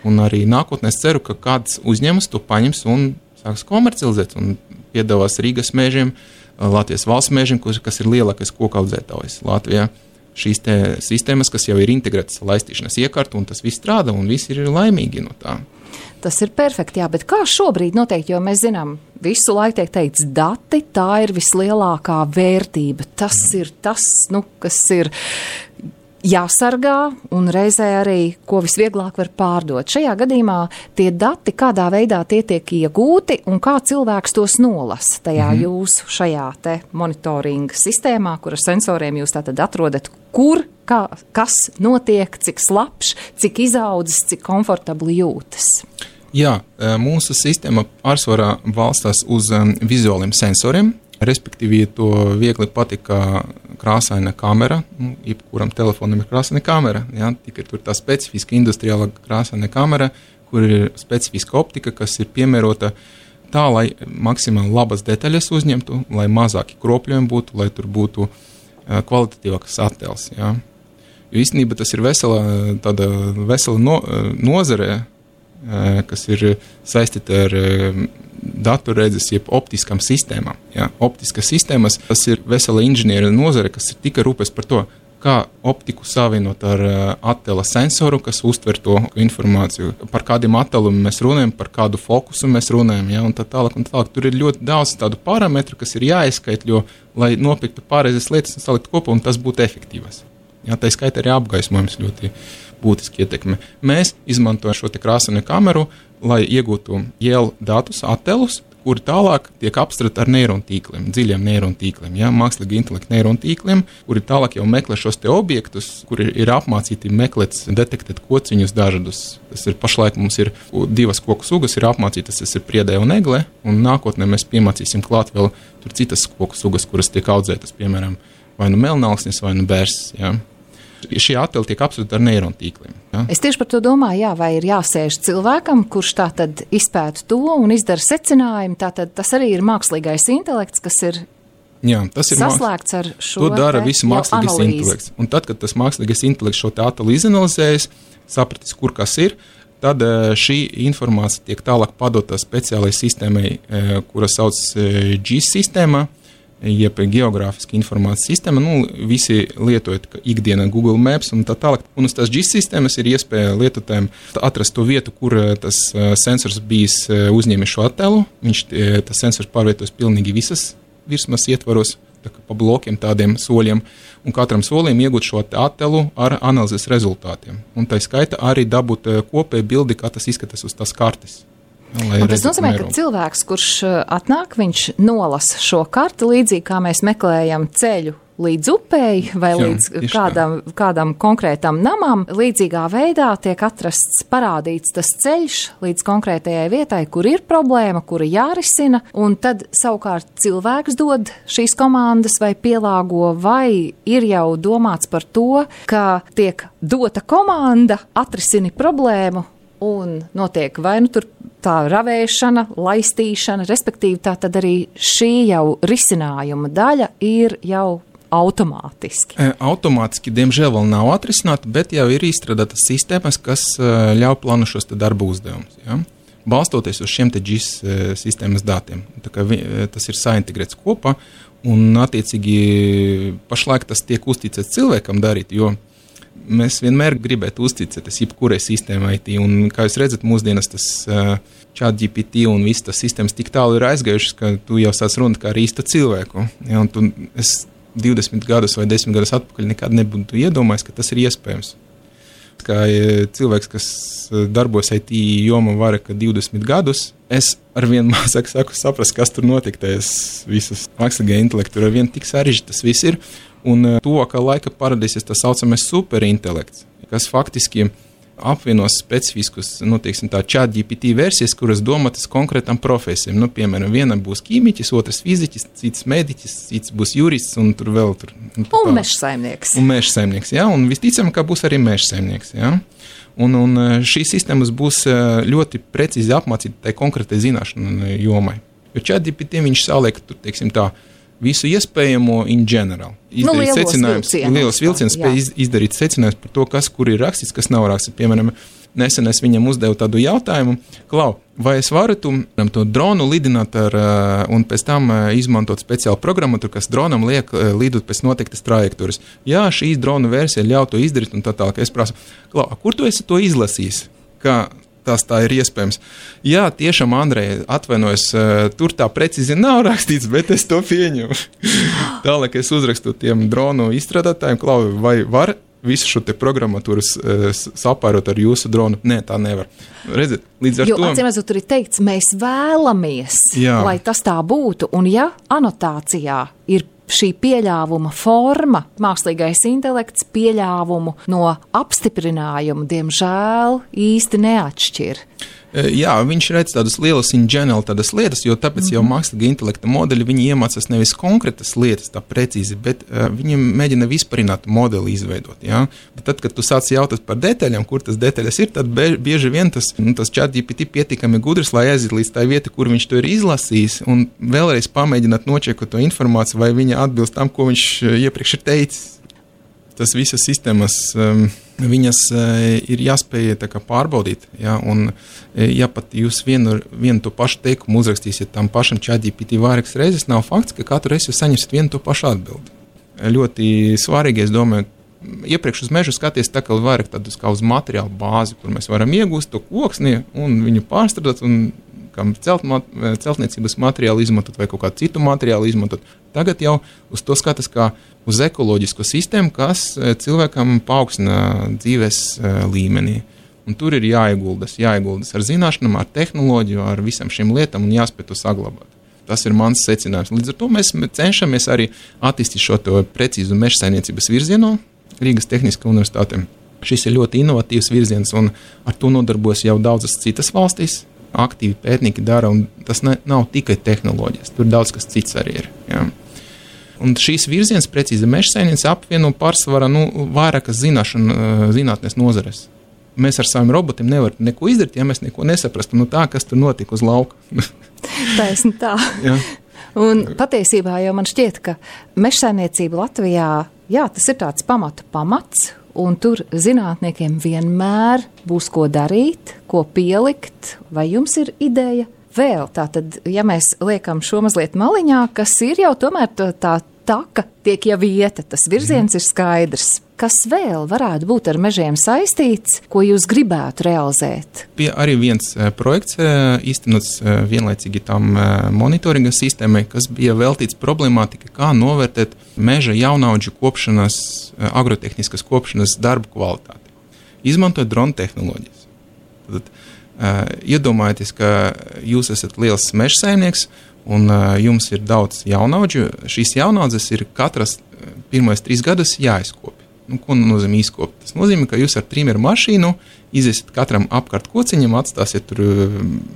Un arī nākotnē es ceru, ka kāds uzņēmums to paņems un sāks komercializēt un piedāvās Rīgas mežiem, Latvijas valsts mežiem, kas ir lielākais koku audzētājs Latvijā. Šīs te sistēmas, kas jau ir integrētas laistīšanas iekārtu, un tas viss strādā, un visi ir laimīgi no tā. Tas ir perfekti, jā, bet kā šobrīd noteikti, jo mēs zinām, visu laiku tiek teikts dati, tā ir vislielākā vērtība. Tas ir tas, nu, kas ir jāsargā un reizē arī, ko visvieglāk var pārdot. Šajā gadījumā tie dati, kādā veidā tie tiek iegūti un kā cilvēks tos nolasa tajā mm. jūsu šajā te monitoringa sistēmā, kur ar sensoriem jūs tātad atrodat, kur, kā, kas notiek, cik slapš, cik izaudzis, cik komfortabli jūtas. Jā, mūsu sistēma pārsvarā balstās uz vizuāliem sensoriem. Respektīvi, ja to viegli patika krāsaina kamera, nu, jebkuram telefonam ir krāsaina kamera, ja, tikai tur tā specifiska industriāla krāsaina kamera, kur ir specifiska optika, kas ir piemērota tā, lai maksimāli labas detaļas uzņemtu, lai mazāki kropļojumi būtu, lai tur būtu uh, kvalitatīvāks attēls. Ja. Jo īstenībā tas ir vesela, tāda vesela no, nozare, uh, kas ir saistīta ar uh, datorredzes, jeb optiskām sistēmām. Ja? Optiskas sistēmas, tas ir vesela inženiera nozare, kas ir tikai rūpes par to, kā optiku savienot ar uh, attēla sensoru, kas uztver to informāciju. Par kādiem attēlumiem mēs runājam, par kādu fokusu mēs runājam, ja? Un tā tālāk un tālāk. Tur ir ļoti daudz tādu parametru, kas ir jāizskaitļo, lai nopirktu pareizes lietas un salikt kopā, un tas būtu efektīvas. Ja? Tā skaitā arī apgaismojums ļoti būtiski ietekme. Mēs izmantojam šo te krāsaino kameru, lai iegūtu ielu datus, attēlus, kuri tālāk tiek apstrādāti ar neirontīkliem, dziļiem neirontīkliem, ja, mākslīgi intelekta neirontīkliem, kuri tālāk jau meklē šos te objektus, kuri ir apmācīti meklēt, detektēt kociņus dažādus. Tas ir pašlaik mums ir divas koku sugas, ir apmācītas, tas ir priedē un egle, un nākotnē mēs piemācīsim klāt vēl tur citas koku sugas, kuras tiek audzētas, piemēram, vai nu melnalksnis, vai nu bērs, ja. Šie attēli tiek apstrādāti ar neirontīkliem. Ja? Es tieši par to domāju, jā, vai ir jāsēž cilvēkam, kurš tā tad izpēta to un izdara secinājumu, tā tad tas arī ir mākslīgais intelekts, kas ir, jā, tas ir saslēgts ar šo to dara visu mākslīgais intelekts. Un tad, kad tas mākslīgais intelekts šo te attēlu izanalizējas, sapratis, kur kas ir, tad šī informācija tiek tālāk padota speciālai sistēmai, kura sauc G I S sistēmā, jeb geogrāfiska informācijas sistēma. Nu, visi lietojot ikdienā Google Maps un tā tālāk. Un uz tās G I S sistēmas ir iespēja lietotājiem atrast to vietu, kur tas sensors bijis uzņēmis šo attēlu. Viņš, tas sensors pārvietojas pilnīgi visas virsmas ietvaros, tā kā pa blokiem tādiem soļiem, un katram solim iegūt šo attēlu ar analīzes rezultātiem. Un tā skaita arī dabūt kopēju bildi, kā tas izskatās uz tās kartes. Un tas nozīmē, ka cilvēks, kurš atnāk, viņš nolasa šo karti līdzīgi, kā mēs meklējam ceļu līdz upei vai Jā, līdz kādam, kādam konkrētam namam. Līdzīgā veidā tiek atrasts, parādīts tas ceļš līdz konkrētajai vietai, kur ir problēma, kura jārisina, un tad savukārt cilvēks dod šīs komandas vai pielāgo, vai ir jau domāts par to, ka tiek dota komanda, atrisini problēmu, un notiek vai nu tur tā ravēšana, laistīšana, respektīvi tā tad arī šī jau risinājuma daļa ir jau automātiski. Automātiski, diemžēl, vēl nav atrisināta, bet jau ir izstrādātas sistēmas, kas ļauj plānot šos te darba uzdevumus. Ja? Balstoties uz šiem te G I S sistēmas datiem. Tā kā vi, tas ir saintegrēts kopā, un attiecīgi pašlaik tas tiek uzticēts cilvēkam darīt, jo mēs vienmēr gribētu uzticēties jebkurai sistēmai I T, un, kā jūs redzat, mūsdienas tas uh, ChatGPT un viss tas sistēmas tik tālu ir aizgājušas, ka tu jau sāc runāt kā ar īstu cilvēku. Ja, un tu, es divdesmit gadus vai desmit gadus atpakaļ nekad nebūtu iedomājis, ka tas ir iespējams. Kā cilvēks, kas darbojas I T jomā vairāk kā divdesmit gadus, es arvien mazāk saku saprast, kas tur notiek tajās visas mākslīgā intelekta. Tur arvien tik sarežģīti tas viss ir. Un tuvākā laika parādīsies tas saucamais superintelekts, kas faktiski apvienos specifiskus, nu, teiksim tā, ChatGPT versijas, kuras domātas konkrētam profesijam. Nu, piemēram, vienam būs ķīmiķis, otrs fiziķis, cits mediķis, cits būs jurists un tur vēl tur. Nu, un mežsaimnieks. Un mežsaimnieks, jā, un visticam, ka būs arī mežsaimnieks, jā. Un, un šīs sistēmas būs ļoti precīzi apmācīti tai konkrētai zināšanu jomai. Jo ChatGPT viņš saliek, tur, teiksim tā, visu iespējamo in general. Izdarīt nu, secinājums, lielos vilcienus, spēj iz, izdarīt secinājums par to, kas, kur ir rakstīts, kas nav rakstīts. Piemēram, nesen es viņam uzdevu tādu jautājumu, Klau, vai es varu tu, to dronu lidināt ar, un pēc tam izmantot speciālu programmatūru, kas dronam liek lidot pēc noteiktas trajektorijas. Jā, šī drona versija ļauj to izdarīt un tā tālāk. Es prasu, Klau, kur tu esi to izlasījis? Kā tas tā ir iespējams. Jā, tiešām, Andrej, atvainojos, tur tā precīzi nav rakstīts, bet es to pieņemu. Tālāk es uzrakstu tiem dronu izstrādātājiem, Klau, vai var visu šo te programmatūru sapārot ar jūsu dronu? Nē, tā nevar. Redzat, līdz ar jo, to... Jo, atcīmredzot, tur ir teikts, mēs vēlamies, Jā. Lai tas tā būtu, un ja anotācijā ir šī pieļāvuma forma, mākslīgais intelekts pieļāvumu no apstiprinājumu, diemžēl, īsti neatšķir. Jā, viņš redz tādas lielas in general tādas lietas, jo tāpēc mm-hmm. jau mākslīga intelekta modeļi, viņi iemācās nevis konkrētas lietas tā precīzi, bet uh, viņi mēģina vispārinātu modeli izveidot, jā. Bet tad, kad tu sāc jautāt par detaļām, kur tas detaļas ir, tad bieži vien tas, nu, tas ChatGPT pietiekami gudrs, lai aiziet līdz tā vieta, kur viņš to ir izlasījis, un vēlreiz pamēģināt nočekot to informāciju, vai viņa atbilst tam, ko viņš iepriekš ir teicis. Tas visas sistēmas, um, viņas uh, ir jāspēj tā kā pārbaudīt, ja, un ja pat jūs vienu, vienu to pašu teikumu uzrakstīsiet tam pašam ChatGPT vairākas reizes, nav fakts, ka katru reizi jūs saņemsiet vienu to pašu atbildi. Ļoti svarīgi, es domāju, iepriekš uz mežu skaties tā kā vairāk tādus kā uz materiālu bāzi, kur mēs varam iegūst to koksni un viņu pārstrādāt un kā celt, celtniecības materiālu izmantot vai kaut kādu citu materiālu izmantot. Tagad jau uz to skatās kā uz ekoloģisko sistēmu, kas cilvēkam paaugstina dzīves līmenī. Un tur ir jāieguldas, jāieguldas ar zināšanām, ar tehnoloģiju, ar visam šīm lietām un jāspēj to saglabāt. Tas ir mans secinājums. Līdz ar to mēs cenšamies arī attīstīt šo to precīzu mežsaimniecības virzienu Rīgas Tehniskā universitātē. Šis ir ļoti inovatīvs virziens un ar to nodarbojas jau daudzas citas valstīs. Aktīvi pētnieki dara, un tas ne, nav tikai tehnoloģijas, tur daudz kas cits arī ir. Jā. Un šīs virziens, precīzi mežsaimniecība, apvieno pārsvarā nu, vairākas zināšana, zinātnes nozares. Mēs ar saviem robotiem nevaram neko izdarīt, ja mēs neko nesaprastam no tā, kas tur notika uz lauka. Taisni tā. Jā. Un patiesībā jau man šķiet, ka mežsaimniecība Latvijā, jā, tas ir tāds pamata pamats, un tur zinātniekiem vienmēr būs ko darīt, ko pielikt. Vai jums ir ideja vēl tātad, ja mēs liekam šo mazliet maliņā, kas ir jau tomēr tā, tā taka tiek jau vieta, tas virziens mm. ir skaidrs. Kas vēl varētu būt ar mežiem saistīts, ko jūs gribētu realizēt? Bija arī viens uh, projekts uh, īstenots uh, vienlaicīgi tam uh, monitoringa sistēmai, kas bija veltīts problemātika, kā novērtēt meža jaunaudžu kopšanas, uh, agrotehniskas kopšanas darbu kvalitāti. Izmantojot drona tehnoloģijas. Tad, uh, iedomājieties, ka jūs esat liels meža saimnieks un uh, jums ir daudz jaunaudžu. Šīs jaunaudzes ir katras uh, pirmais trīs gadus jāizkopja. Nu, ko nozīmē izkopt? Tas nozīmē, ka jūs ar trīmeru mašīnu iziesiet katram apkārt kociņam, atstāsiet tur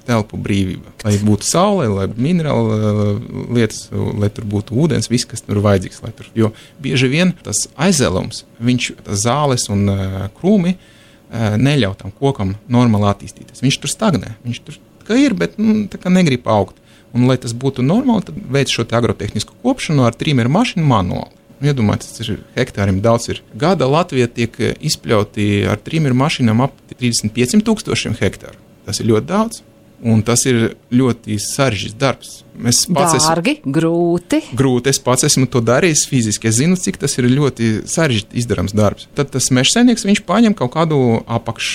telpu brīvība. Lai būtu saule, lai minerāla lietas, lai tur būtu ūdens, viss, kas tur vajadzīgs. Lai tur, jo bieži vien tas aizēlums, viņš, tas zāles un uh, krūmi uh, neļauj tam kokam normāli attīstīties. Viņš tur stagnē. Viņš tur kā ir, bet nu, tā kā negrib augt. Un, lai tas būtu normāli, tad veic šo te agrotehnisku kopšanu ar trīmeru mašīnu manuāli. Iedomājieties, tas ir hektāriem daudz ir. Gada Latvija tiek izpļauti ar trīmeru mašīnām ap trīsdesmit pieciem tūkstošiem hektāru. Tas ir ļoti daudz, un tas ir ļoti sarežģīts darbs. Mēs pats Dārgi, esmu, grūti. Grūti, es pats esmu to darījis fiziski. Es zinu, cik tas ir ļoti sarežģīti izdarams darbs. Tad tas mežsaimnieks, viņš paņem kaut kādu apakš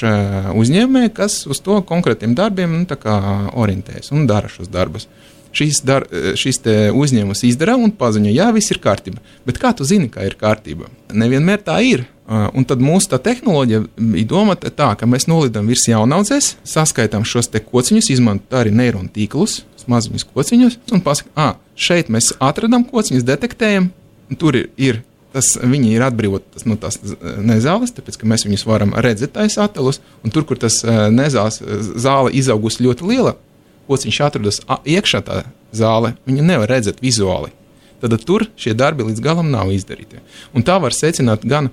uzņēmēju, kas uz to konkrētiem darbiem nu, tā kā orientējas un dara šos darbus. Šīs, dar, šīs te uzņēmums izdara un paziņo, jā, viss ir kārtība. Bet kā tu zini, kā ir kārtība? Nevienmēr tā ir. Un tad mūsu tā tehnoloģija ir domāta tā, ka mēs nolidam virs jaunaudzes, saskaitām šos te kociņus, izmantot arī neironu tīklus, maziņus kociņus, un pasaka, ā, šeit mēs atradam kociņus, detektējam, un tur ir, ir tas, viņi ir atbrīvot tas, no tās nezāles, tāpēc, ka mēs viņus varam redzēt tais atelus, un tur, kur tas nezāles zāle izaugusi ļoti liela, kociņš atrodas iekšā tā zāle, viņa nevar redzēt vizuāli. Tad tur šie darbi līdz galam nav izdarīti. Un tā var secināt gan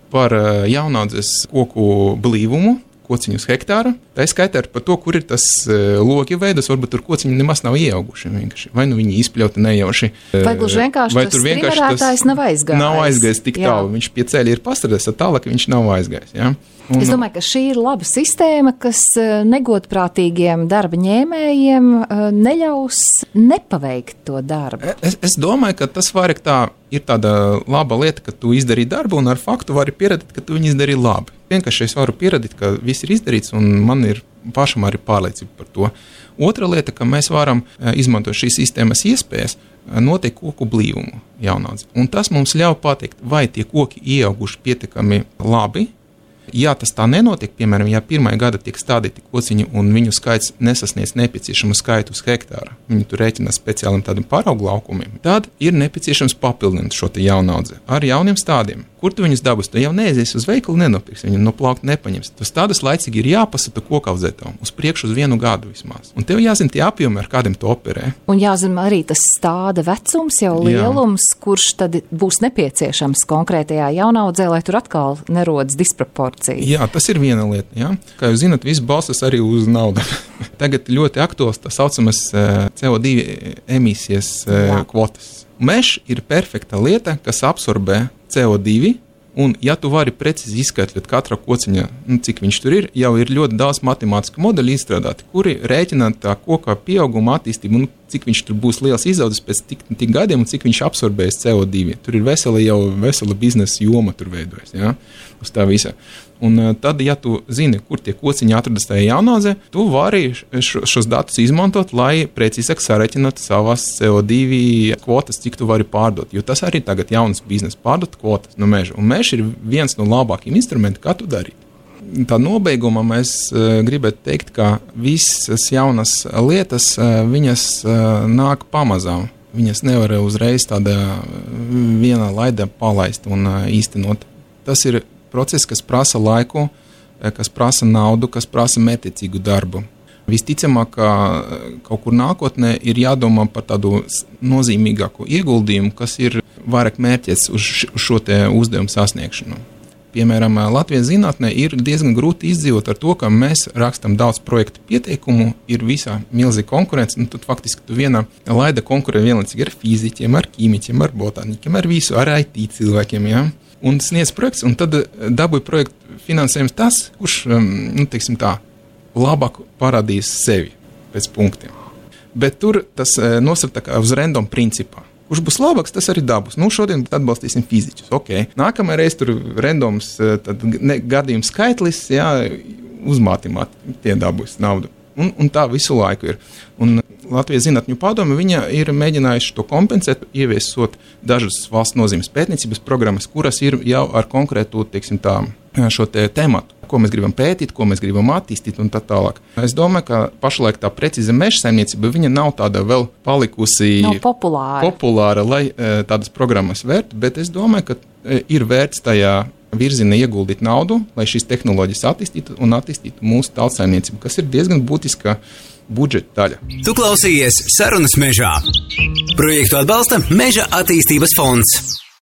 par jaunaudzes koku blīvumu, kociņus hektāru, tā skaitā par to, kur ir tas logi veidos, varbūt tur kociņi nemaz nav ieauguši. Vienkārši. Vai nu viņi izpļauti nejauši. Vai gluži vienkārši vai tas trimerētājs nav aizgājis. Nav aizgājis tik jā. Tālu. Viņš pie ceļa ir pastrādājis tālāk, ka viņš nav aizgājis. Ja? Un, es domāju, ka šī ir laba sistēma, kas negodprātīgiem darba ņēmējiem neļaus nepaveikt to darbu. Es, es domāju, ka tas vairāk tā ir tāda laba lieta, ka tu izdarīji darbu un ar faktu vari pierādīt, ka tu viņu izdarīji labi. Vienkārši es varu pierādīt, ka viss ir izdarīts un man ir pašam arī pārliecība par to. Otra lieta, ka mēs varam izmantot šīs sistēmas iespējas, noteikti koku blīvumu jaunaudzē. Un tas mums ļauj pateikt, vai tie koki ieauguši pietiekami labi. Ja tas tā nenotiek, piemēram, ja pirmajā gada tiek stādīti kociņi un viņu skaits nesasniedz nepieciešamu skaitu uz hektāru, viņi tur rēķina speciāliem tādiem paraugu laukumiem, tad ir nepieciešams papildināt šo te jaunaudzi ar jauniem stādiem. Kur tu viņus dabūsi? Tu jau neaizies uz veikalu, nenopirks, viņu no plaukta nepaņems. Tas tādas laicīgi ir jāpasata kokaudzētājiem uz priekšu uz vienu gadu vismaz. Un tev jāzina tie apjomi, ar kādiem tu operē. Un jāzina arī tas stāda vecums, jau lielums, Jā. Kurš tad būs nepieciešams konkrētajā jaunaudzē, lai tur atkal nerodas disproporcija. Jā, tas ir viena lieta. Jā. Kā jūs zināt, viss balstas arī uz naudu. Tagad ļoti aktuāls tā saucamas C O divi emisijas Jā. Kvotas. Mežs ir perfekta lieta, kas absorbē C O divi, un ja tu vari precīzi izskaidrot katra kociņa, nu, cik viņš tur ir, jau ir ļoti daudz matemātisku modeļu izstrādāti, kuri rēķina tā koka pieauguma attīstību, un cik viņš tur būs liels izaudzis pēc tik, tik gadiem, un cik viņš absorbēs C O divi. Tur ir vesela jau vesela biznesa joma tur veidojas, ja, uz tā visa. Un tad, ja tu zini, kur tie kociņi atrodas tajā jaunaudzē, tu vari šo, šos datus izmantot, lai precīzāk sarēķinātu savas C O divi kvotas, cik tu vari pārdot. Jo tas arī tagad jaunas biznesa pārdot kvotas no meža. Un mežs ir viens no labākajiem instrumentiem, kā tu darīt. Tā nobeigumā mēs uh, gribētu teikt, ka visas jaunas lietas, uh, viņas uh, nāk pamazām. Viņas nevar uzreiz tādā vienā laidā palaist un uh, īstenot. Tas ir process, kas prasa laiku, kas prasa naudu, kas prasa mērķiecīgu darbu. Visticamāk, ka kaut kur nākotnē ir jādomā par tādu nozīmīgāku ieguldījumu, kas ir vairāk mērķēts uz šo te uzdevumu sasniegšanu. Piemēram, Latvijas zinātnē ir diezgan grūti izdzīvot ar to, ka mēs rakstam daudz projektu pieteikumu, ir visā milzīga konkurence, un tad faktiski tu vienā laida konkurē vienlaicīgi ar fiziķiem, ar ķīmiķiem, ar botāniķiem, ar visu, ar I T cilvēkiem, ja? Un sniedz projekts, un tad dabūja projektu finansējums tas, kurš, nu, teiksim tā, labāk parādīs sevi pēc punktiem. bet tur tas nosaka tā kā uz random principā. Kurš būs labāks, tas arī dabūs. Nu, šodien atbalstīsim fiziķus. Okay. Nākamajā reiz tur randoms tad, ne, gadījums skaitlis, jā, uz matemātiku tie dabūs naudu. Un, un tā visu laiku ir. Un Latvijas Zinātņu padome viņa ir mēģinājuši to kompensēt, ieviesot dažas valsts nozīmes pētniecības programmas, kuras ir jau ar konkrētu, teiksim tā, šo te tematu, ko mēs gribam pētīt, ko mēs gribam attīstīt un tā tālāk. Es domāju, ka pašlaik tā precīza meža saimniecība, viņa nav tāda vēl palikusi nav populāra, populāra lai tādas programmas vērt, bet es domāju, ka ir vērts tajā virzienā ieguldīt naudu, lai šīs tehnoloģijas attīstītu un attīstītu mūsu tautsaimniecību, kas ir diezgan būtiska budžeta daļa. Tu klausījies Sarunas mežā. Projektu atbalsta Meža attīstības fonds.